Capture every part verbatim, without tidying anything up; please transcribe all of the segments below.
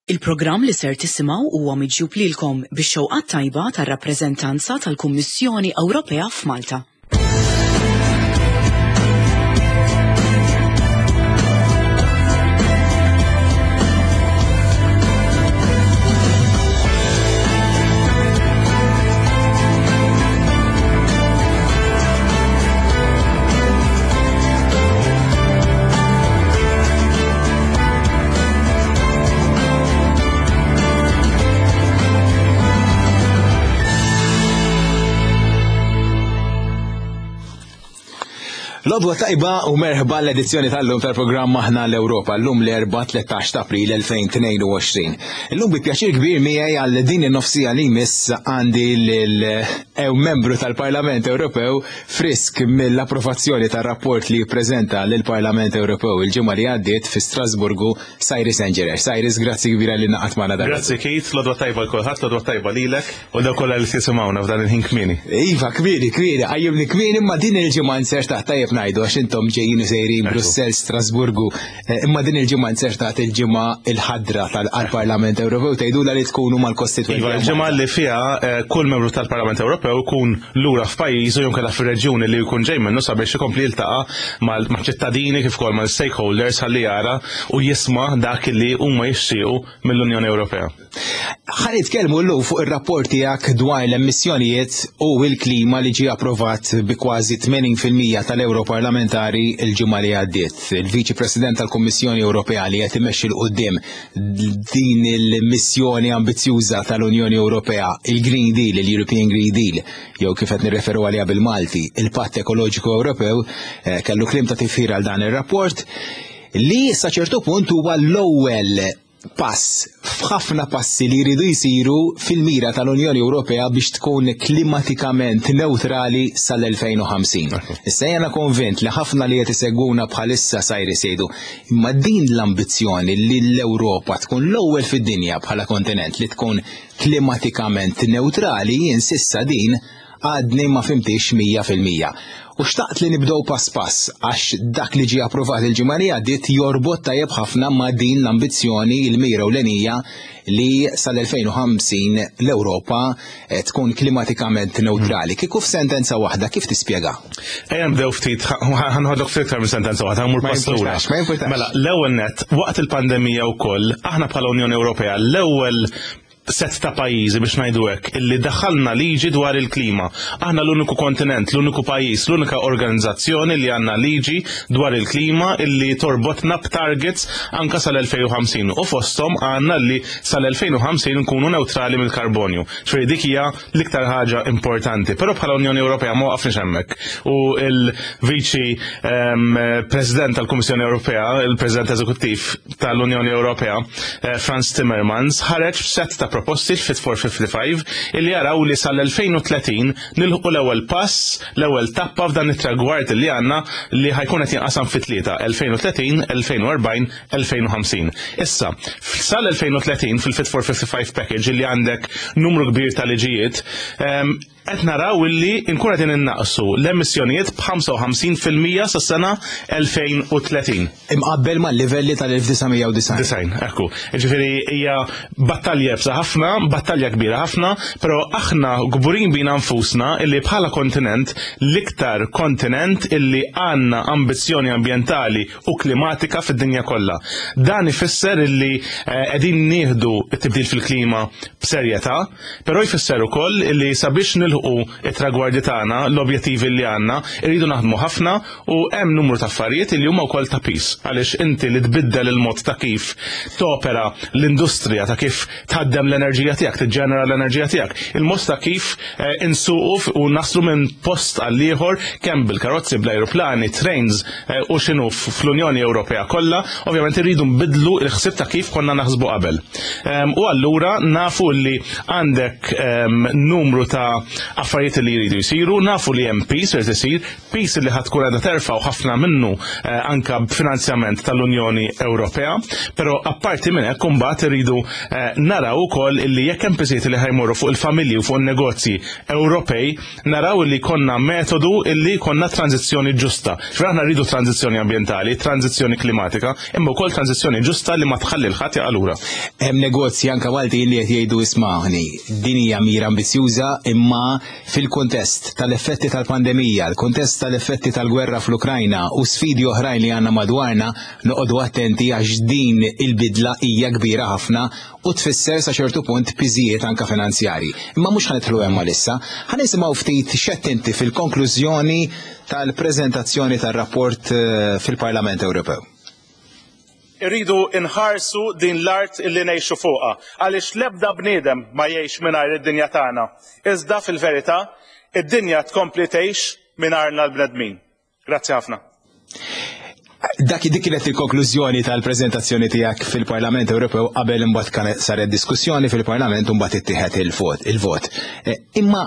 Il-programm li ser tisimgħu huwa miġjub lilkom bix-xewqa tajba tar-rappreżentanza tal-Kummissjoni Ewropea f'Malta. L-għodwa tajba u merħba l-edizzjoni tal-lum tal-programm Aħna l-Ewropa, l-lum l-Erbgħa tlettax ta' April elfejn tnejn u għoxrin. Illum bi pjaċir kbir miegħi għal din in-nofsija li jmiss għandi lil membru tal-Parlament Ewropew frisk mill-approvazzjoni tar-rapport li ppreżenta lill-Parlament Ewropew il-ġimgħa li għaddiet fi Strasburgu, Cyrus Engerer. Cyrus, grazzi kbira li naqat magħna dan. Grazzi Keith, l-għodwa tajba l kulħadd, l-għodwa tajba lilek u dawk kollha li tisimgħuna f'dan il-ħin kmieni. Iva, kmieni, kmieni, qajjimni kmieni, imma din il-ġimgħa nsertaħ tajjeb ngħidu għax intom ġejjin u sejrin Brussell, Strasburgu, imma din il-ġimgħa nsertat il-ġimgħa il-ħadra tal-Parlament Ewropew tgħidula li tkunu mal-kostitwenti. Iva, il-ġimgħa li fiha kull membru tal-Parlament Ewropew ikun lura f'pajjiżu jew kellha fir-reġjuni li jkun ġej minnu sabiex ikompli jiltaqa' mal-ċittadini kif ukoll mal-stakeholders ħalli jara u jisma' dak li huma jixtiequ mill-Unjoni Ewropea. Ħa nitkellmu llum fuq ir-rapport tiegħek dwar l-emissjonijiet u l-klima li ġie approvat bi kważi tmenin fil-mija tal-Europarlamentari l-ġimgħa li għaddiet. Il-Viċi President tal-Kummissjoni Ewropea li qed imexxi 'l quddiem din il-missjoni ambizzjuża tal-Unjoni Ewropea, il-Green Deal, il-European Green Deal, jew kif qed nirreferu għaliha bil-Malti, il-Patt Ekoloġiku Ewropew, kellu kliem ta' tifħir għal dan ir-rapport li sa ċertu punt huwa l-ewwel pass f'ħafna passi li jridu jsiru fil-mira tal-Unjoni Ewropea biex tkun klimatikament neutrali sal-elfejn u ħamsin. Issa jena konvint li ħafna li qed isegwuna bħalissa Cyrus jgħidu, imma din l-ambizzjoni li l-Ewropa tkun l-ewwel fid-dinja bħala kontinent li tkun klimatikament neutrali, jien sissa din għadni ma fimtix mija fil-mija. U xtaqt li nibdew pass pass għax dak li ġie approvat il-ġimgħa li għaddiet jorbot tajjeb ħafna ma' din l-ambizzjoni, il-mira ewlenija li sal-elfejn u ħamsin l-Ewropa tkun klimatikament neutrali. Kieku f'sentenza waħda kif tispjega? Ejja nibdew ftit, ħanħodlok ftit iktar minn sentenza waħda, ħammur Ma pass lura. jimpurtax, ma jimpurtax. Mela, l-ewwel nett, waqt il-pandemija wkoll, aħna bħala Unjoni Ewropea l-ewwel set ta' pajjiżi biex ngħidu hekk illi daħħalna liġi dwar il-klima. Aħna l-uniku kontinent, l-uniku pajjiż, l-unika organizzazzjoni li għandna liġi dwar il-klima illi torbotna b'targets anka sal-elfejn u ħamsin. U fosthom għandna li sal-elfejn u ħamsin nkunu neutrali mill-karbonju. Ġifieri dik hija l-iktar ħaġa importanti. Però bħala Unjoni Ewropea ma waqafniex hemmhekk. U il-Viċi, ehm, President tal-Kummissjoni Ewropea, il-President Eżekuttiv tal-Unjoni Ewropea, eh, Frans Timmermans, ħareġ b'set ta' proposti Fit for fifty-five illi jaraw li sal-elfejn u tletin nilħu l-ewwel pass, l-ewwel tappa f'dan it-tragward li għandna li ħajkun qed jinqasam fi tlieta, elfejn u tletin, elfejn u erbgħin, elfejn u ħamsin. Issa, sal-elfejn u tletin fil-Fit for fifty-five package illi għandek numru kbir ta' liġijiet, ehm, qed naraw illi nkun qegħdin innaqsu l-emissjonijiet b'ħamsa u ħamsin fil-mija sas-sena elfejn u tletin. Imqabbel mal-livelli tal-elf disa' mija u disgħin. Disgħin, ekku. Ġifieri hija battalja iebsa ħafna, battalja kbira ħafna, però aħna kburin bina nfusna illi bħala kontinent, l-iktar kontinent illi għandna ambizzjoni ambjentali u klimatika fid-dinja kollha. Dan ifisser illi, eh, qegħdin nieħdu t-tibdil fil-klima b'serjetà, però jfisser ukoll illi sabiex nilħu it-tragwardi tagħna, l-objettivi li għandna, irridu naħdmu ħafna u hemm numru ta' affarijiet li huma wkoll ta' pis. Għaliex inti li tbiddel il-mod ta' kif topera l-industrija, ta' kif tħaddem l-enerġija tiegħek, tiġġenera l-enerġija tiegħek, il-mod ta' kif, eh, insuqu f-, u naslu minn post għal ieħor kemm bil-karozzi, bl-ajruplani, trains, eh, u x'inhu f-, fl-Unjoni Ewropea kollha, ovvjament irridu nbidlu l-ħsieb ta' kif konna naħsbu qabel. Em, u allura nafu li għandek, em, numru ta' affarijiet li jridu jsiru, nafu li hemm pis irid isir, pis li ħadd tkun qiegħda terfa' u ħafna minnu, eh, anka b'finanzjament tal-Unjoni Ewropea, però apparti minn hekk imbagħad irridu, eh, naraw ukoll Ukoll illi jekk hemm piżijiet li ħa jmorru fuq il-familji u fuq in-negozji Ewropej, naraw illi konna metodu illi konna tranzizzjoni ġusta. Ġifieri aħna rridu tranzizzjoni ambjentali, tranzizzjoni klimatika, imma wkoll tranzizzjoni ġusta li ma tħalli 'l ħadd jaqa' lura. Hemm negozji anke Maltin li qed jgħidu, ismagħni, din hija mira ambizjuża, imma fil-kuntest tal-effetti tal-pandemija, l-kuntest tal-effetti tal-gwerra fl-Ukrajna u sfidi oħrajn li għandna madwarna, noqogħdu attenti għax din il-bidla hija kbira ħafna u tfisser sa ċertu punt piżijiet anka finanzjari. Imma mhux ħa nidħlu hemm issa, ħa nisimgħu ftit x'għedt inti fil-konklużjoni tal-preżentazzjoni tar-rapport eh, fil-Parlament Ewropew. Irridu inħarsu din l-art illi ngħixu fuqha, għaliex l-ebda bniedem ma jgħix mingħajr id-dinja tagħna. Iżda fil-verità, id-dinja tkompli tgħix mingħajrna l-bnedmin. Grazzi ħafna. Dak dik kienet il-konklużjoni tal-preżentazzjoni tiegħek fil-Parlament Ewropew qabel imbagħad kienet saret diskussjoni fil-Parlament u mbagħad ittieħed il-vot. Il-vot. Eh, imma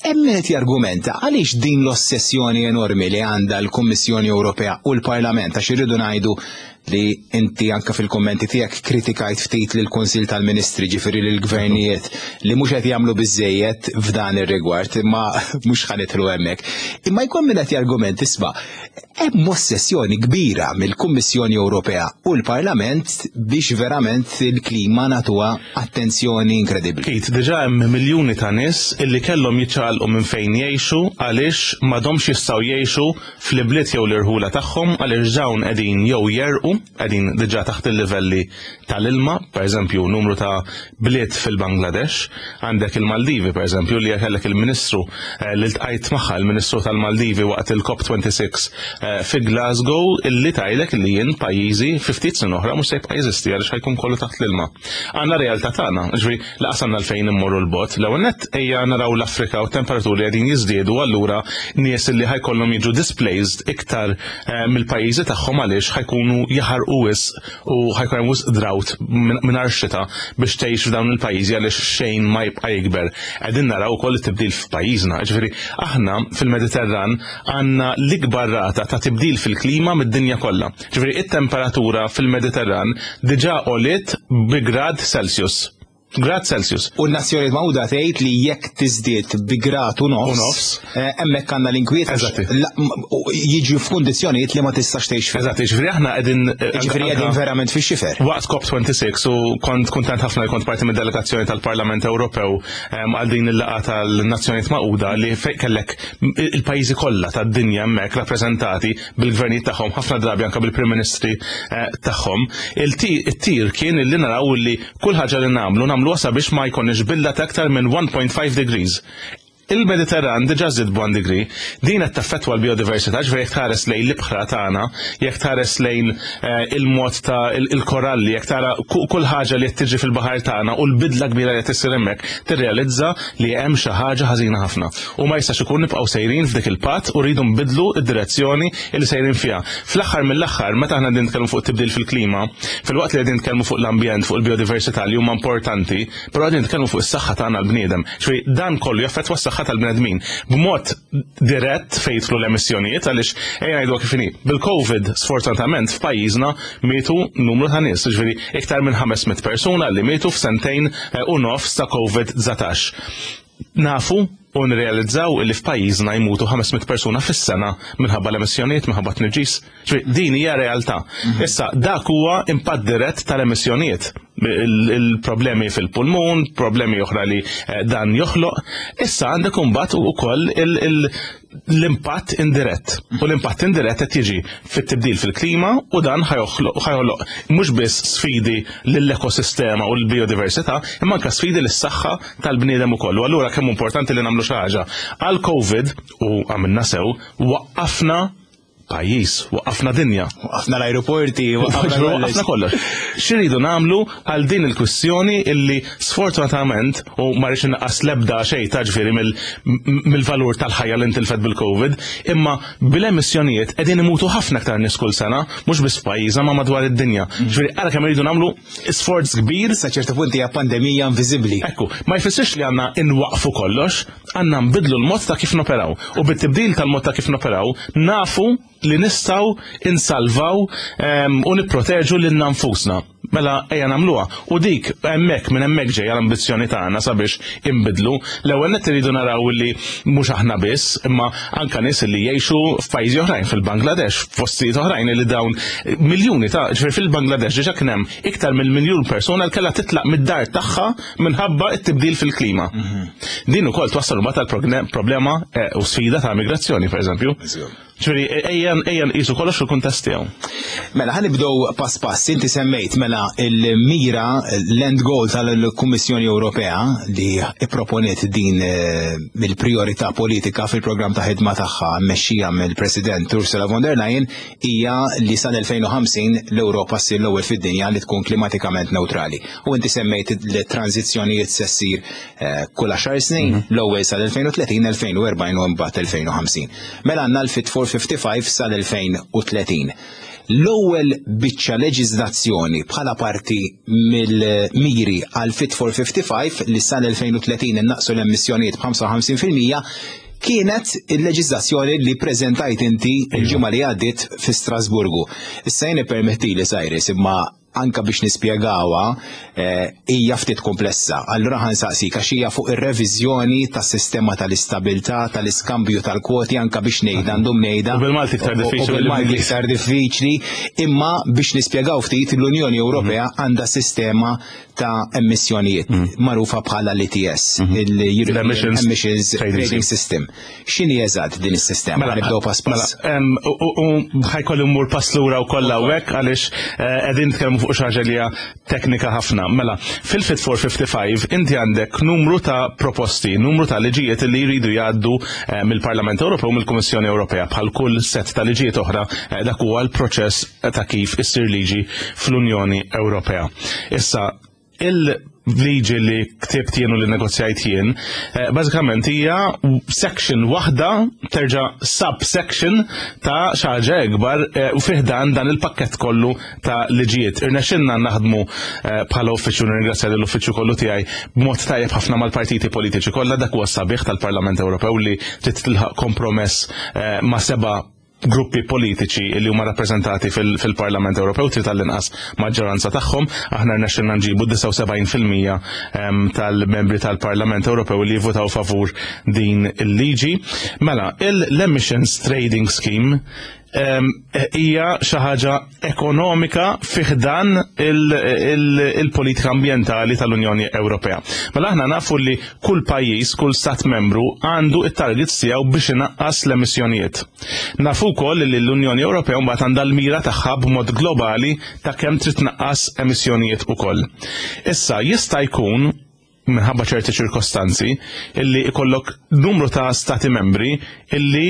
hemm qed jargumenta għaliex din l-ossessjoni enormi li għandha l-Kummissjoni Ewropea u l-Parlament, għax irridu ngħidu li inti anka fil-kommenti tiegħek kritikajt ftit lil kunsill tal-Ministri, ġifieri lill-gvernijiet, li mhux qed jagħmlu biżejjed f'dan ir-rigward, imma mhux ħa nidħlu hemmhekk. Imma jkun min qed jargument, isma', hemm ossessjoni kbira mill-Kummissjoni Ewropea u l-Parlament biex verament il-klima nagħtuha attenzjoni inkredibbli. Kit, diġà hemm miljuni ta' nies illi kellhom jiċċaqalqu minn fejn jgħixu għaliex m'għadhomx jistgħu jgħixu fl-ibliet jew l-irħula tagħhom, għaliex dawn qegħdin jew jegħrqu, qegħdin diġà taħt il-livelli tal-ilma, pereżempju numru ta' bliet fil-Bangladesh, għandek il-Maldivi pereżempju li kellek il-Ministru eh, li ltqajt magħha, il-Ministru tal-Maldivi waqt il-COP twenty-six eh, fi Glasgow, illi tgħidlek li jien pajjiżi fi ftit snin oħra mhux se jibqa' jeżisti għaliex ħa jkun kollu taħt l-ilma. Għandna realtà tagħna, ġifieri lanqas għandna għalfejn immorru 'l bogħod. L-ewwel nett ejja naraw l-Afrika u temperaturi qegħdin jiżdiedu, allura nies illi ħa jkollhom jiġu displaced iktar eh, mill-pajjiżi tagħhom għaliex ħa jkunu jaħarqu wisq u ħa jkun hemm wisq drought mingħajr xita biex tgħix f'dawn il-pajjiżi, għaliex xejn ma jibqa' jikber. Qegħdin naraw ukoll it-tibdil f'pajjiżna. Ġifieri aħna fil-Mediterran għandna l-ikbar rata ta' tibdil fil-klima mid-dinja kollha. Ġifieri it-temperatura fil-Mediterran diġà għoliet bi grad Celsius. Grad Celsius. U n-Nazzjonijiet Magħquda tgħid li jekk tiżdied bi grad u nofs, U nofs. eh, hemmhekk għandna l-inkwiet għax Eżatti. la- m- u jiġu f'kundizzjonijiet li ma tistax tgħix fih. Eżatt, ġifieri aħna qegħdin Ġifieri qegħdin verament fix-xifer. Waqt COP twenty-six, u kont kontent ħafna li kont parti mid-delegazzjoni tal-Parlament Ewropew em, għal din il-laqgħa tal-Nazzjonijiet Magħquda li fejn kellek il-pajjiżi kollha tad-dinja hemmhekk rappreżentati bil-gvernijiet tagħhom, ħafna drabi anke bil-Prim Ministri eh, tagħhom. Il-tir kien li naraw li kull ħaġa li nagħmlu nagħmluha sabiex ma jkunx bidla ta' aktar minn one point five degrees. Il-Mediterran diġà żdied b'one degree, din qed taffettwa l-biodiversità, ġifieri jekk tħares lejn l-ibħra tagħna, jekk tħares lejn eh, il-mod ta' il- il-koralli, jekk tara ku- kull ħaġa li qed tiġi fil-baħar tagħna u l-bidla kbira li qed issir hemmhekk, tirrealizza li hemm xi ħaġa ħażina ħafna. U ma jistax ikun nibqgħu sejrin f'dik il-path u rridu nbidlu id-direzzjoni li sejrin fiha. Fl-aħħar mill-aħħar, meta aħna qegħdin nitkellmu fuq tibdil fil-klima, filwaqt li qegħdin nitkellmu fuq l-ambjent, fuq il-biodiversità li huma importanti, però qegħdin nitkellmu fuq is-saħħa tagħna l-bniedem. Ġifieri dan kollu jaffettwa s-saħħa tal-bnedmin b'mod dirett fejn jidħlu l-emissjonijiet, għaliex ejja ngħidu kif inhi. Bil-Covid, sfortunatament, f'pajjiżna mietu numru ta' nies, ġifieri iktar minn ħames mitt persuna li mietu f'sentejn eh, u nofs ta' COVID nineteen. Nafu u nirrealizzaw li f'pajjiżna jmutu ħames mitt persuna fis-sena minħabba l-emissjonijiet, minħabba tniġġis. Ġifieri din hija realtà. Issa dak huwa impatt dirett tal-emissjonijiet. Il- Il-problemi fil-pulmun, problemi oħra li eh, dan joħloq. Issa għandek imbagħad ukoll il- il- l-impatt indirett. U l-impatt indirett qed jiġi fit-tibdil fil-klima u dan ħa joħloq ħa joħloq mhux biss sfidi lill-ekosistema u l-biodiversità, imma anke sfidi lis-saħħa tal-bniedem ukoll. U allura kemm importanti li nagħmlu xi ħaġa. Għal Covid, u għamilna sew, waqqafna pajjiż, waqqafna dinja. Waqafna l-aeroporti, waqafna Waqafna kollox. X'iridu nagħmlu għal din il-kwistjoni illi sfortunatament, u ma rridx innaqqas l-ebda xejn ta' ġifieri mill-valur tal-ħajja li intilfet bil-Covid, imma bil-emissjonijiet qegħdin imutu ħafna aktar nies kull sena, mhux biss f'pajjiżna ma madwar id-dinja. Ġifieri ara kemm iridu nagħmlu sforz kbir. Sa ċertu punt hija pandemija inviżibbli. Ekku, ma jfissirx li għandna inwaqfu kollox, għandna nbidlu l-mod ta' kif noperaw. U bit-tibdil tal-mod ta' kif noperaw, nafu li nistgħu insalvaw em, u nipproteġu lil nfusna. Mela ejja nagħmluha. U dik hemmhekk, minn hemmhekk ġejja l-ambizzjoni tagħna sabiex inbidlu. L-ewwel nett iridu naraw li mhux aħna biss, imma anka nies li jgħixu f'pajjiżi oħrajn, fil-Bangladesh, f'postijiet oħrajn, li dawn miljuni ta', ġifieri fil-Bangladesh diġà kien hemm iktar minn miljun persuna li kellha titlaq mid-dar tagħha minħabba t-tibdil fil-klima. Din ukoll twassal mbagħad tal-problema eh, u sfida ta' migrazzjoni, pereżempju. Ġifieri ejja ejja nqisu kollox fil-kuntest tiegħu. Mela, ħa nibdew pass pass. Inti semmejt mela il-mira, l-end goal tal-Kummissjoni Ewropea li ipproponiet din eh, mill-priorità politika fil-programm ta' ħidma tagħha mmexxija mill-President Ursula von der Leyen hija li sal-elfejn u ħamsin l-Ewropa ssir l-ewwel fid-dinja li tkun klimatikament neutrali. U inti semmejt li tranzizzjonijiet se ssir eh, kull għaxar snin, l-ewwel sal-elfejn u tletin, elfejn u erbgħin u mbagħad elfejn u ħamsin. Mela għandna l-Fit for fifty-five sal-elfejn u tletin. L-ewwel biċċa leġiżlazzjoni bħala parti mill-miri għal Fit for fifty-five li sal-elfejn u tletin innaqsu l-emissjonijiet b'ħamsa u ħamsin fil-mija kienet il-leġiżlazzjoni li preżentajt inti il-ġimgħa li għaddiet fi Strasburgu. Issa jien permettili, Cyrus, imma anka biex nispjegawha eh, hija ftit komplessa. Allura ħa nsaqsik għax hija fuq ir-reviżjoni tas-sistema tal-istabilità, tal-iskambju tal-kwoti, anka biex ngħidha għandhom ngħidha. U bil-Malti iktar U- u diffiċli bil-Malti mill-Ingliż. iktar diffiċli, imma biex nispjegaw ftit, l-Unjoni Ewropea għandha sistema ta' emissjonijiet magħrufa bħala l-E T S, il-European L-Emissions Emissions Trading Trading System. X'inhi eżatt din is-sistema? Mela, Nibdew pass pass. Mela, em, u u- ħa jkolli mmur pass lura u kollha hawnhekk għaliex eh, qegħdin nitkellmu fuq xi ħaġa li hija teknika ħafna. Mela, fil-Fit for fifty-five inti għandek numru ta' proposti, numru ta' liġijiet li jridu jgħaddu eh, mill-Parlament Ewropew u mill-Kummissjoni Ewropea. Bħal kull set ta' liġijiet oħra, eh, dak huwa l-proċess ta' kif issir liġi fl-Unjoni Ewropea. Issa, il-liġi li ktibt jien u li negozjajt jien, eh, bażikament hija section waħda, terġa' subsection ta' xi ħaġa ikbar eh, u fih dan dan il-pakket kollu ta' liġijiet. Irnexxinna naħdmu eh, bħala uffiċċju, nirringrazzja lill-uffiċċju kollu tiegħi, b'mod tajjeb ħafna mal-partiti politiċi kollha. Dak huwa sabiħ tal-Parlament Ewropew, li trid tilħaq kompromess eh, ma' seba' gruppi politiċi li huma rappreżentati fil- fil-Parlament Ewropew, trid tal-inqas maġġoranza tagħhom. Aħna rnexxilna nġibu disgħa u sebgħin fil-mija em, tal-membri tal-Parlament Ewropew li jivvutaw favur din il-liġi. Mela, l-Emissions Trading Scheme em, hija xi ħaġa ekonomika fi ħdan il-politika ambjentali tal-Unjoni Ewropea. Mela aħna nafu li kull pajjiż, kull stat membru għandu it-targets tiegħu biex inaqqas l-emissjonijiet. Nafu wkoll li l-Unjoni Ewropea mbagħad għandha l-mira tagħha b'mod globali ta' kemm trid tnaqqas emissjonijiet ukoll. Issa jista' jkun minħabba ċerti ċirkostanzi illi ikollok numru ta' stati membri illi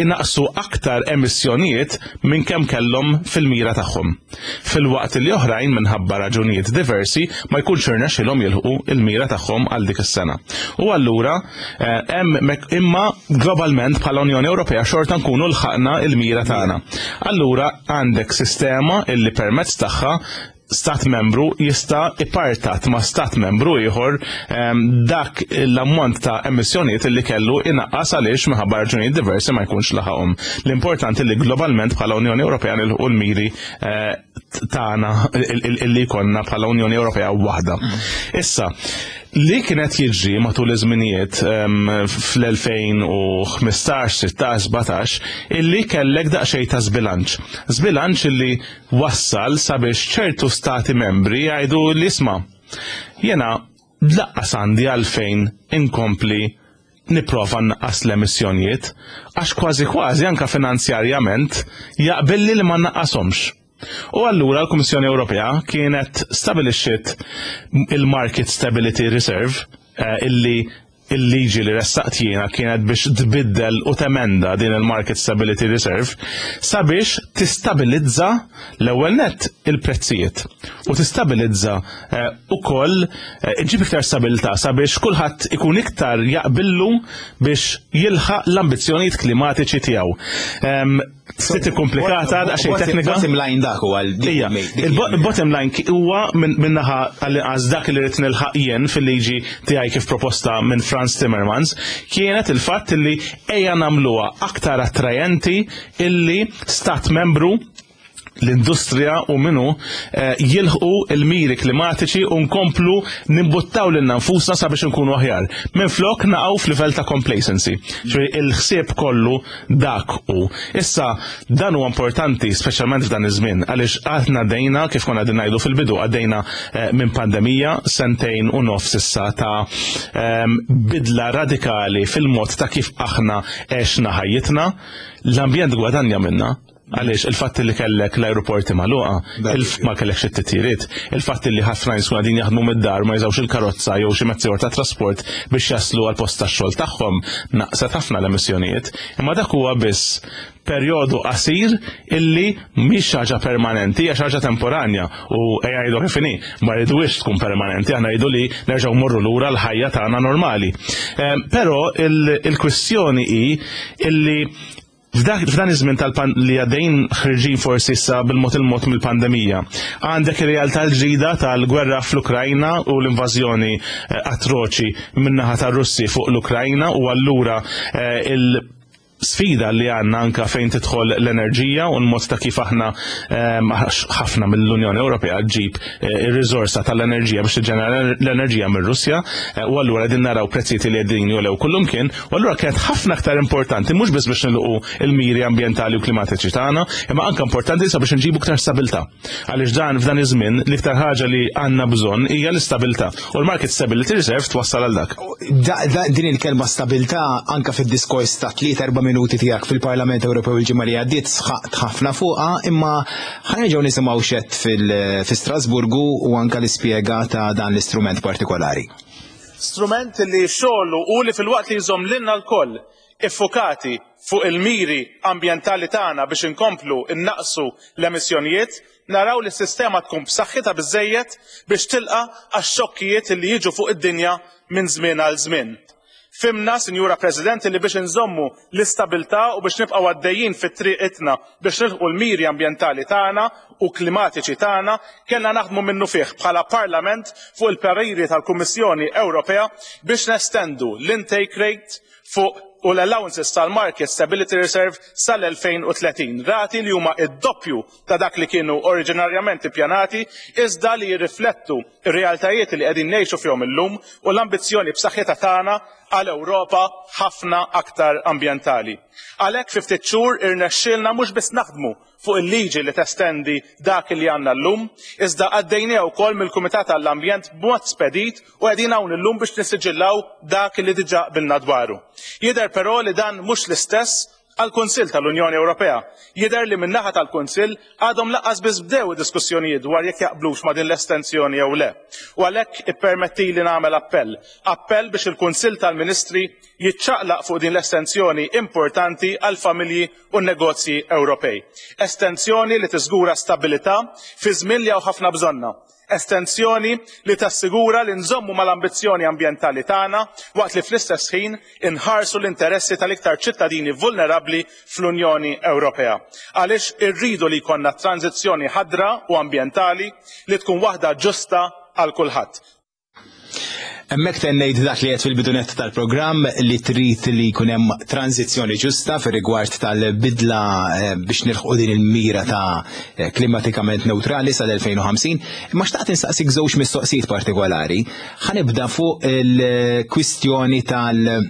inaqsu aktar emissjonijiet minn kemm kellhom fil-mira tagħhom. Filwaqt li oħrajn, minħabba raġunijiet diversi, ma jkunx irnexxilhom jilħqu il-mira tagħhom għal dik is-sena. U allura eh, hemm imma globalment bħala Unjoni Ewropea xorta nkunu lħaqna il-mira tagħna. Allura għandek sistema illi permezz tagħha stat membru jista' ipartat ma' stat membru ieħor em, dak l-ammont ta' emissjonijiet li kellu inaqqas għaliex minħabba raġunijiet diversi ma jkunx laħaqhom. L-importanti li globalment bħala Unjoni Ewropea nilħqu l-miri eh, tagħna illi jkollna bħala Unjoni Ewropea waħda. Issa, li kienet jiġri matul iż-żminijiet em, fl-elfejn u ħmistax, sittax, sbatax, illi kellek daqsxejn ta' żbilanċ. Żbilanċ illi wassal sabiex ċertu stati membri jgħidu li isma', jena lanqas għandi għalfejn inkompli nipprova nnaqqas l-emissjonijiet, għax kważi kważi anka finanzjarjament jaqbilli li ma naqqashomx. U allura l-Kummissjoni Ewropea kienet stabilixxiet il-Market Stability Reserve, eh, illi il-liġi li ressaqt jiena kienet biex tbiddel u temenda din il-Market Stability Reserve sabiex tistabilizza l-ewwel net il-prezzijiet u tistabilizza eh, ukoll eh, iġib iktar stabilità sabiex kulħadd ikun iktar jaqbillu biex jilħaq l-ambizzjonijiet klimatiċi tiegħu. Em, Ftit komplikata, daqsxejn teknika. Bottom line dak huwa Ija, il-bottom line ki- huwa minn min-naħa għall-inqas dak li rrid nilħaq jien fil-liġi tiegħi kif proposta minn Frans Timmermans kienet il-fatt li ejja nagħmluha aktar attrajenti illi stat membru L-industrija u minnu eh, jilħqu il-miri klimatiċi u nkomplu nimbuttaw lilna nfusna sabiex nkunu aħjar. Minn flok naqgħu f'livell ta' complacency. Ġifieri il-ħsieb kollu dak u. Issa dan huwa importanti, speċjalment f'dan iż-żmien, għaliex aħna għaddejna, kif konna qegħdin ngħidu fil-bidu, għaddejna eh, minn pandemija, sentejn u nofs issa ta' ehm, bidla radikali fil-mod ta' kif aħna għexna ħajjitna. L-ambjent gwadanja minna. Għaliex il-fatt li kellek l-aeroporti magħluqa, ma kellekx it-titjiriet, il-fatt li ħafna nies qegħdin jaħdmu mid-dar, ma jużawx il-karozza jew xi mezzi ta' trasport biex jaslu għal post tax-xogħol tagħhom, naqset ħafna l-emissjonijiet. Imma dak huwa biss perjodu qasir illi mhix ħaġa permanenti, hija ħaġa temporanja, u ejja ngħidu kif inhi, ma rridux tkun permanenti, aħna rridu li nerġgħu morru lura l-ħajja tagħna normali. Ehm, però il-kwistjoni hi illi f'dan iż-żmien tal li għaddejn ħirġin forsi issa bil-mod il-mod mill-pandemija, għandek ir-realtà l-ġdida tal-gwerra fl-Ukrajna u l-invażjoni eh, atroċi min-naħa tar-Russi fuq l-Ukrajna, u allura eh, il- sfida li għandna anka fejn tidħol l-enerġija u l-mod ta' kif aħna ehm, ħafna mill-Unjoni Ewropea ġib eh, ir-riżorsa tal-enerġija biex tiġġenera l-enerġija mir-Russja eh, u allura qegħdin naraw prezzijiet li qegħdin jogħlew kullumkien, u allura kienet ħafna aktar importanti mhux biss biex nilħqu il-miri ambjentali u klimatiċi tagħna, imma anke importanti sabiex nġibu aktar stabilità. Għaliex dan f'dan iż-żmien l-iktar ħaġa li għandna bżonn hija l-istabilità. U l-Market Stability Reserve twassal għal dak. Din il-kelma stabilità anka fid-diskors ta' tliet erba' minuti tiegħek fil-Parlament Ewropew il-ġimgħa li għaddiet sħaqt ħafna fuqha, imma ħa nerġgħu nisimgħu x'għedt fi Strasburgu u anka l-ispjega ta' dan l-istrument partikolari. Strument li xogħlu u li filwaqt li jżomm lilna lkoll iffukati fuq il-miri ambjentali tagħna biex inkomplu innaqsu l-emissjonijiet, naraw li s-sistema tkun b'saħħitha biżejjed biex tilqa' għax-xokkijiet li jiġu fuq id-dinja minn żmien għal żmien. Fhimna, Sinjura President, li biex inżommu l-istabilità u biex nibqgħu għaddejjin fit-triqitna biex nilħqu l-miri ambjentali tagħna u klimatiċi tagħna, kellna naħdmu minnufih bħala Parlament fuq il-pariri tal-Kummissjoni Ewropea biex nestendu l-intake rate fuq u l-allowances tal-Market Stability Reserve sal-elfejn u tletin. Rati li huma id-doppju ta' dak li kienu oriġinarjament ippjanati, iżda li jirriflettu ir-realtajiet li qegħdin ngħixu fihom illum u l-ambizzjoni b'saħħitha tagħna għal Ewropa ħafna aktar ambjentali. Għalhekk fi ftit xhur irnexxielna mhux biss naħdmu fuq il-liġi li testendi dak li għandna llum, iżda għaddejnieh wkoll mill-Kumitat għall-Ambjent b'mod spedit u qegħdin hawn illum biex nissiġillaw dak li diġà qbilna dwaru. Jidher però li dan mhux l-istess għall-Kunsill tal-Unjoni Ewropea. Jidher li min-naħa tal-Kunsill għadhom lanqas biss bdew diskussjonijiet dwar jekk jaqblux ma' din l-estensjoni jew le. U għalhekk ippermetti li nagħmel appell. Appell biex il-Kunsill tal-Ministri jiċċaqlaq fuq din l-estensjoni importanti għal familji u negozji Ewropej. Estensjoni li tiżgura stabilità fi żmien li hawn ħafna bżonnha. Estensjoni li tassigura li nżommu mal-ambizzjoni ambjentali tagħna waqt li fl-istess ħin inħarsu l-interessi tal-iktar ċittadini vulnerabbli fl-Unjoni Ewropea. Għaliex irridu li jkollna tranzizzjoni ħadra u ambjentali li tkun waħda ġusta għal kulħadd. Hemmhekk tennejt dak li għedt fil-bidu nett tal-programm, li trid li jkun hemm tranzizzjoni ġusta fir rigward tal-bidla eh, biex nilħqu din il-mira ta' eh, klimatikament neutrali sal-elfejn u ħamsin. Imma xtaqt insaqsik żewġ mistoqsijiet partikolari. Ħa nibda fuq il-kwistjoni tal-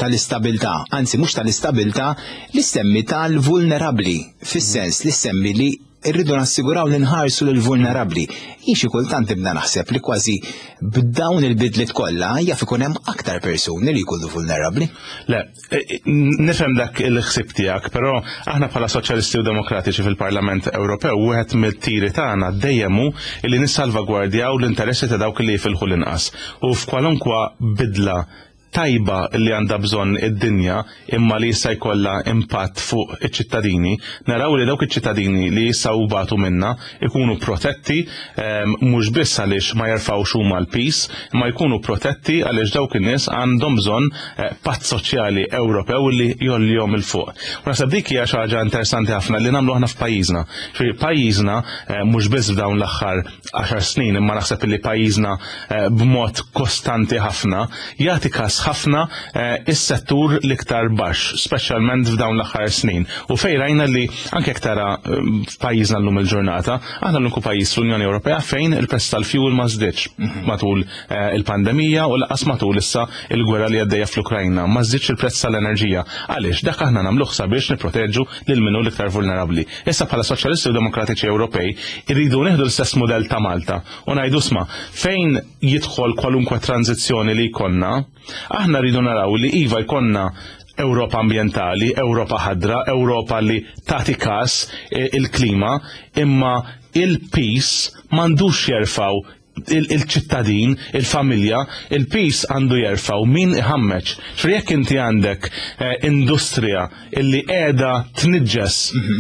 tal-istabilità, anzi mhux tal-istabilità, li semmi tal-vulnerabli, fis-sens li semmi li irridu nassiguraw li nħarsu lil vulnerabli. Jien xi kultant nibda naħseb li kważi b'dawn il-bidliet kollha jaf ikun hemm aktar persuni li jkunu vulnerabbli. Le, e, e, nifhem dak il-ħsib tiegħek, però aħna bħala Soċjalisti u Demokratiċi fil-Parlament Ewropew wieħed mit-tiri tagħna dejjem hu li nissalvagwardjaw l-interessi ta' dawk li jifilħu l-inqas. U f'kwalunkwa bidla tajba li għandha bżonn id-dinja imma li jista' jkollha impatt fuq iċ-ċittadini, naraw li dawk iċ-ċittadini li jistgħu batu minna ikunu protetti, ehm, mhux biss għaliex ma jerfgħux huma l-piż, imma jkunu protetti għaliex dawk in-nies għandhom bżonn eh, patt soċjali Ewropew li jgħollihom 'il fuq. U naħseb dik hija xi ħaġa interessanti ħafna li nagħmlu aħna f'pajjiżna. Ġifieri pajjiżna eh, mhux biss f'dawn l-aħħar għaxar snin, imma naħseb li pajjiżna eh, b'mod kostanti ħafna jagħti kas ħafna eh, is-settur l-iktar baxx, speċjalment f'dawn l-aħħar snin. U fejn rajna li anke jekk tara eh, f'pajjiżna llum il-ġurnata, aħna l-uniku pajjiż fl-Unjoni Ewropea fejn il-prezz tal-fuel ma żdiedx matul eh, il-pandemija u lanqas matul issa il-gwerra li għaddejja fl-Ukrajna, ma żdiedx il-prezz tal-enerġija. Għaliex dak aħna nagħmluh sabiex nipproteġu lil min hu l-iktar vulnerabbli. Issa bħala Soċjalisti u Demokratiċi Ewropej irridu nieħdu l-istess mudell ta' Malta u ngħidu isma' fejn jidħol kwalunkwe tranzizzjoni li jkollna, aħna rridu naraw li iva jkollna Ewropa ambientali, Ewropa ħadra, Ewropa li tagħti kas eh, il-klima, imma il-piż m'għandux jerfgħu il-ċittadin, il-familja, il-piż għandu jerfgħu min iħammeċ. Ġifieri jekk inti għandek eh, industrija illi qiegħda tniġġes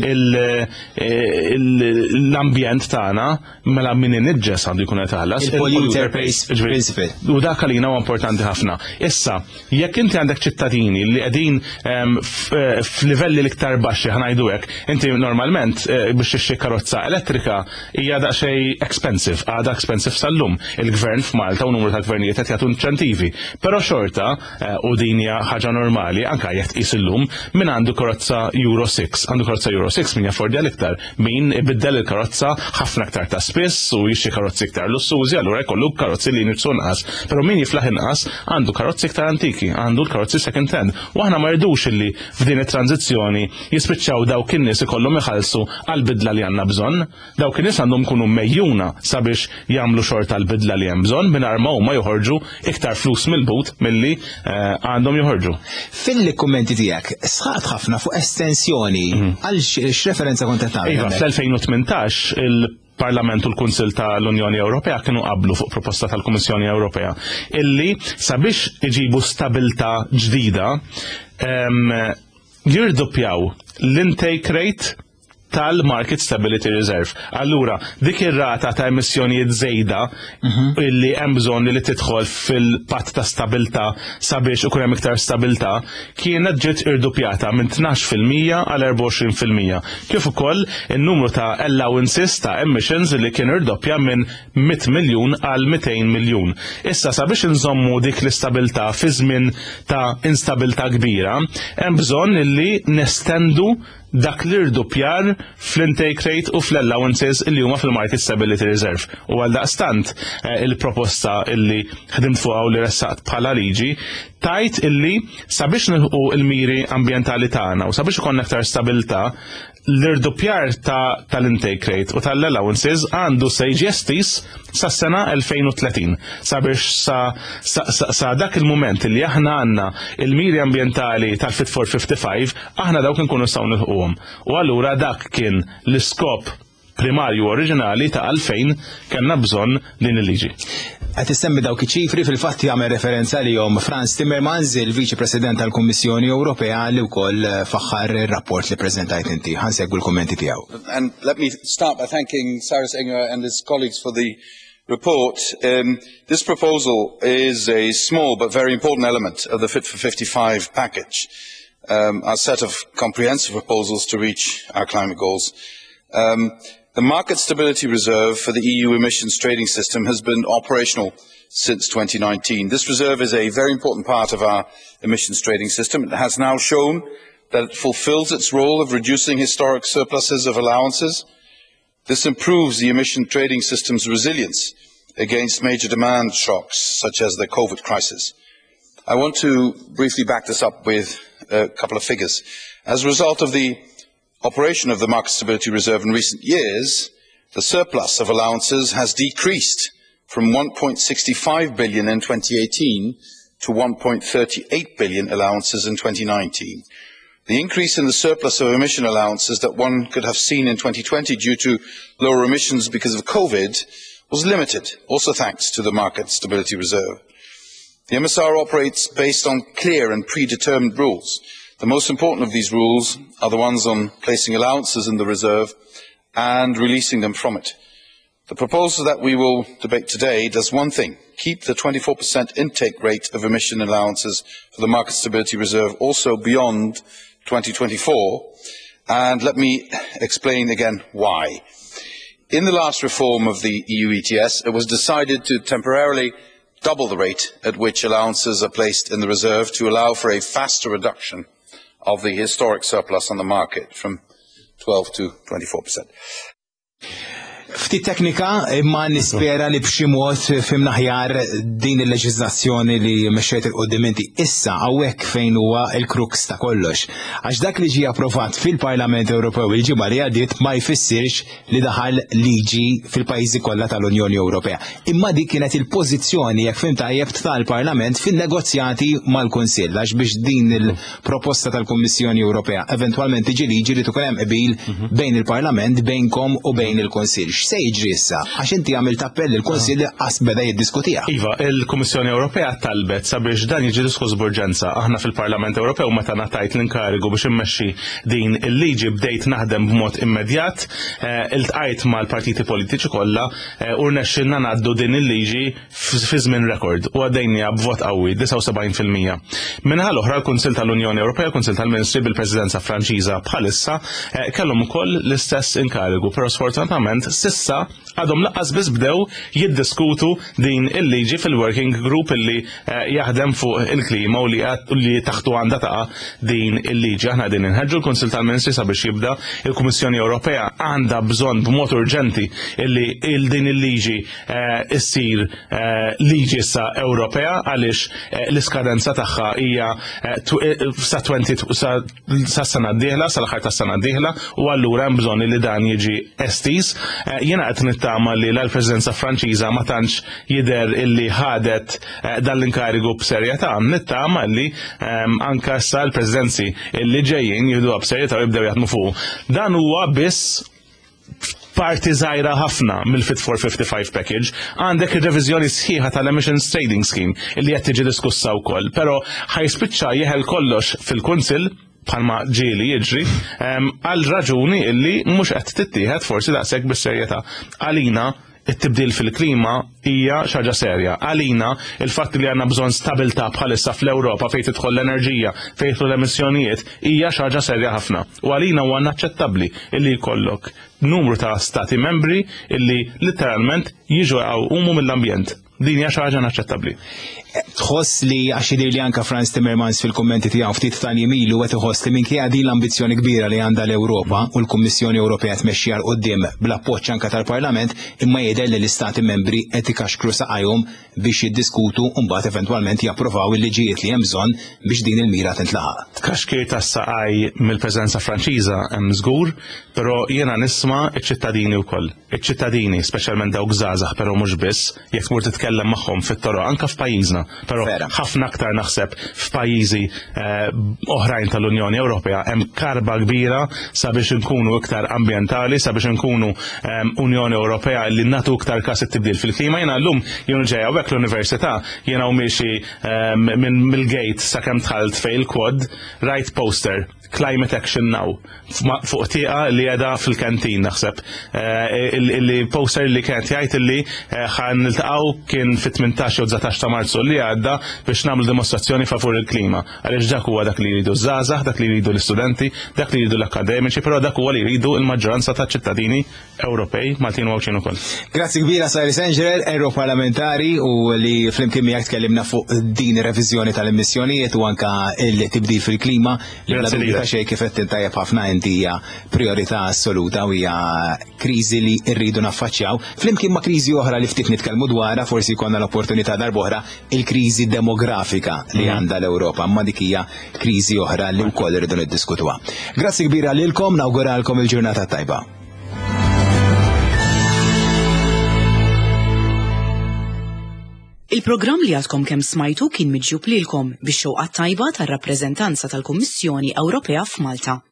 il- eh, il- l-ambjent tagħna, mela min iniġġes għandu jkun qed iħallas. Il-polluter pays Ġifieri, principle. U dak għalina huwa importanti ħafna. Issa, jekk inti għandek ċittadini li qegħdin em, f- eh, f'livelli l-iktar baxxi ħa ngħidu hekk, inti normalment eh, biex tixtri karozza elettrika hija daqsxejn expensive, għadha expensive sal-lum. Il-gvern f'Malta u numru ta' gvernijiet qed jagħtu inċentivi. Però xorta, eh, u din hija ħaġa normali, anke jekk tqis illum, min għandu karozza Euro sitta, għandu karozza Euro sitta min jaffordja l-iktar, min ibiddel il-karozza ħafna aktar ta' spiss u jixtri karozzi iktar lussużi, allura jkollu karozzi li jniġġsu inqas. Però min jiflaħ inqas għandu karozzi iktar antiki, għandu l-karozzi second hand. U aħna ma rridux illi f'din it-tranzizzjoni jispiċċaw dawk in-nies ikollhom iħallsu għal-bidla li għandna bżonn. Dawk in-nies għandhom kunu megħjuna sabiex jagħmlu xorta l-bidla li hemm bżonn mingħajr ma huma joħorġu iktar flus mill-but milli eh, għandhom joħorġu. Fil-kummenti tiegħek sħaqt ħafna fuq estensjoni għal x'referenza kont qed tagħmel? Iva, hemmhekk? fl-elfejn u tmintax il-Parlament u l-Kunsil tal-Unjoni Ewropea kienu qablu fuq proposta tal-Kummissjoni Ewropea illi sabiex iġibu stabilta ġdida em, jirdoppjaw l-intake rate tal-Market Stability Reserve. Allura, dik ir-rata ta' emissjonijiet żejda illi hemm bżonn li tidħol fil-patt ta' stabilta sabiex ikun hemm iktar stabilta kienet ġiet irdupjata minn tnax fil-mija għal erbgħa u għoxrin fil-mija. Kif ukoll in-numru ta' allowances ta' emissions li kien irdoppja minn mitt miljun għal mitejn miljun. Issa sabiex inżommu dik l-istabilta fi żmien ta' instabilta kbira, hemm bżonn illi nestendu dak l-irdupjar fl-intake rate u fl-allowances illi huma fil-Market Stability Reserve. U għal daqstant eh, il-proposta illi ħdimt fuqha u li ressaqt bħala liġi tajt illi sabiex nilħu il-miri ambjentali tagħna u sabiex ikollna aktar stabilta, l-irdupjar ta' tal-intake rate u tal-allowances għandu se jiġi estiż sa' sena elfejn u tletin sabiex sa, sa, sa, sa dak il-moment li aħna għandna il-miri ambjentali tal-Fit for fifty-five, aħna dawk nkunu nistgħu nilħquhom. U allura dak kien l-iskop primarju oriġinali ta' għalfejn kellna bżonn din il-liġi. Qed issemmi dawk iċ-ċifri, fil-fatt jagħmel referenza lihom Frans Timmermans, il-Viċi President tal-Kummissjoni Ewropea, li wkoll faħħar ir-rapport li preżentajt inti. Ħa nsegwu l-kummenti tiegħu. And let me start by thanking Cyrus Engerer and his colleagues for the report. Um, this proposal is a small but very important element of the Fit for fifty-five package, um, our set of comprehensive proposals to reach our climate goals. Um, the Market Stability Reserve for the E U emissions trading system has been operational since twenty nineteen. This reserve is a very important part of our emissions trading system. It has now shown that it fulfills its role of reducing historic surpluses of allowances. This improves the emission trading system's resilience against major demand shocks, such as the COVID crisis. I want to briefly back this up with a couple of figures. As a result of the operation of the Market Stability Reserve in recent years, the surplus of allowances has decreased from one point six five billion in twenty eighteen to one point three eight billion allowances in twenty nineteen. The increase in the surplus of emission allowances that one could have seen in twenty twenty due to lower emissions because of COVID was limited, also thanks to the Market Stability Reserve. The M S R operates based on clear and predetermined rules. The most important of these rules are the ones on placing allowances in the reserve and releasing them from it. The proposal that we will debate today does one thing: keep the twenty-four percent intake rate of emission allowances for the Market Stability Reserve also beyond twenty twenty-four, and let me explain again why. In the last reform of the E U E T S, it was decided to temporarily double the rate at which allowances are placed in the reserve to allow for a faster reduction of the historic surplus on the market from twelve to twenty-four percent. Ftit teknika, imma nispera li b'xi mod fhimna aħjar din il-leġiżlazzjoni li mexxejt 'il quddiem inti. Issa hawnhekk fejn huwa il-crux ta' kollox. Għax dak li ġie approvat fil-Parlament Ewropew il-ġimgħa li għaddiet ma jfissirx li daħal liġi fil-pajjiżi kollha tal-Unjoni Ewropea. Imma dik kienet il-pożizzjoni, jekk fhimt tajjeb, tal-Parlament fin-negozjati mal-Kunsill, għax biex din il-proposta tal-Kummissjoni Ewropea eventwalment tiġi liġi li tkun hemm qbil bejn il-Parlament, bejnkom u bejn il-Kunsill. X'se jiġri issa? Għax inti għamilt appell il-Kunsill qas beda jiddiskutiha. Iva, il-Kummissjoni Ewropea talbet sabiex dan jiġi diskuss b'urġenza. Aħna fil-Parlament Ewropew, meta ngħatajt l-inkarigu biex immexxi din il-liġi, bdejt naħdem b'mod immedjat, eh, iltqajt mal-partiti politiċi kollha eh, u rnexxilna ngħaddu din il-liġi fi żmien rekord u għaddejnieha b'vot qawwi, disgħa u sebgħin fil-mija. Min-naħa l-oħra, l-Kunsill tal-Unjoni Ewropea, l-Kunsill tal-Ministri bil-Presidenza Franċiża bħalissa eh, kellhom ukoll l-istess inkarigu, però sfortunatament s'issa għadhom lanqas biss bdew jiddiskutu din il-liġi fil-working group illi eh, jaħdem fuq il-klima u li li taħtu għandha taqa' din il-liġi. Aħna din inħeġġu l-Kunsill tal-Ministri sabiex jibda. Il-Kummissjoni Ewropea għandha bżonn b'mod urġenti illi il din il-liġi eh, issir eh, liġi issa Ewropea, għaliex l-iskadenza tagħha hija sa twenty sa sena d-dieħla, sal-aħħar tas-sena d-dieħla, u allura hemm bżonn li dan jiġi estiż. Jiena qed nittama li l-Presidenza Franċiża ma tantx jidher illi ħadet dan l-inkarigu b'serjetà. Nittama illi anka issa l-presidenzi illi ġejjin jieħduha b'serjetà u jibdew jaħdmu fuq. Dan huwa biss parti żgħira ħafna mill-Fit for fifty-five package. Għandek ir-reviżjoni sħiħa tal-Emissions Trading Scheme illi qed tiġi diskussa wkoll, però ħa jispiċċa jeħel kollox fil-Kunsill bħalma ġieli jiġri, għal raġuni illi mhux qed tittieħed forsi daqshekk bis-serjetà. Għalina it-tibdil fil-klima hija xi ħaġa serja. Għalina il-fatt li għandna bżonn stabilità bħalissa fl-Ewropa fejn tidħol l-enerġija, fejn tidħol l-emissjonijiet, hija xi ħaġa serja ħafna. U għalina huwa inaċċettabbli illi jkollok numru ta' stati membri illi literalment jiġu jgħumu mill-ambjent. Din hija xi ħaġa inaċċettabbli. Tħoss li, għax jidher li anka Frans Timmermans fil-kommenti tiegħu ftit ta' ilu qed iħoss li minkejja din l-ambizzjoni kbira li għandha l-Ewropa u l-Kummissjoni Ewropea tmexxi 'l quddiem bl-appoġġ anka tal-Parlament, imma jidher li l-Istati membri qed ikaxkru saqajhom biex jiddiskutu u mbagħad eventwalment japprovaw il-liġijiet li hemm bżonn biex din il-mira tintlaħaq. Tkaxkir tas-saqaj mill-preżenza Franċiża hemm żgur, però jiena nisma' iċ-ċittadini wkoll. Iċ-ċittadini, speċjalment dawk żgħażagħ, però mhux biss, jekk tmur titkellem magħhom fit-toroq anke f'pajjiżna, però ħafna aktar naħseb f'pajjiżi eh, oħrajn tal-Unjoni Ewropea, hemm karba kbira sabiex inkunu iktar ambjentali, sabiex inkunu ehm, Unjoni Ewropea li nagħtu iktar kas it-tibdil fil-klima. Jiena llum jien ġej hawnhekk l-università, jiena u miexi ehm, minn mill-gate sakemm dħalt fejn il-quad, rajt poster "Climate Action Now" fuq tieqa li qiegħda fil-kantin naħseb. Eh, illi poster li kienet jgħid illi eh, ħa niltaqgħu kien fit-tmintax jew dsatax ta' Marzu li għadda biex nagħmlu dimostrazzjoni favur il-klima. Għaliex dak huwa dak li jridu żgħażagħ, dak li jridu l-istudenti, dak li jridu l-akademiċi, però dak huwa li jridu l-maġġoranza ta' ċittadini Ewropej, Maltin u Għawdxin ukoll. Grazzi kbira, Cyrus Engerer, Europarlamentari u li flimkien miegħek tkellimna fuq din ir-reviżjoni tal-emissjonijiet u anka il-tibdil fil-klima li bla dubju ta' xejn, kif qed tajjeb ħafna inti, hija priorità assoluta u hija kriżi li rridu naffaċċjaw flimkien ma' kriżi oħra li ftit nitkellmu dwarha, forsi jkollna l-opportunità darb'oħra, il-kriżi demografika li mhm. għandha l-Ewropa, ma dik hija kriżi oħra li wkoll irridu niddiskutuha. Grazzi kbira lilkom, nawguralkom il-ġurnata tajba. Il-programm li għadkom kemm smajtu kien miġjub lilkom bix-xewqa tajba tar-rappreżentanza tal-Kummissjoni Ewropea f'Malta.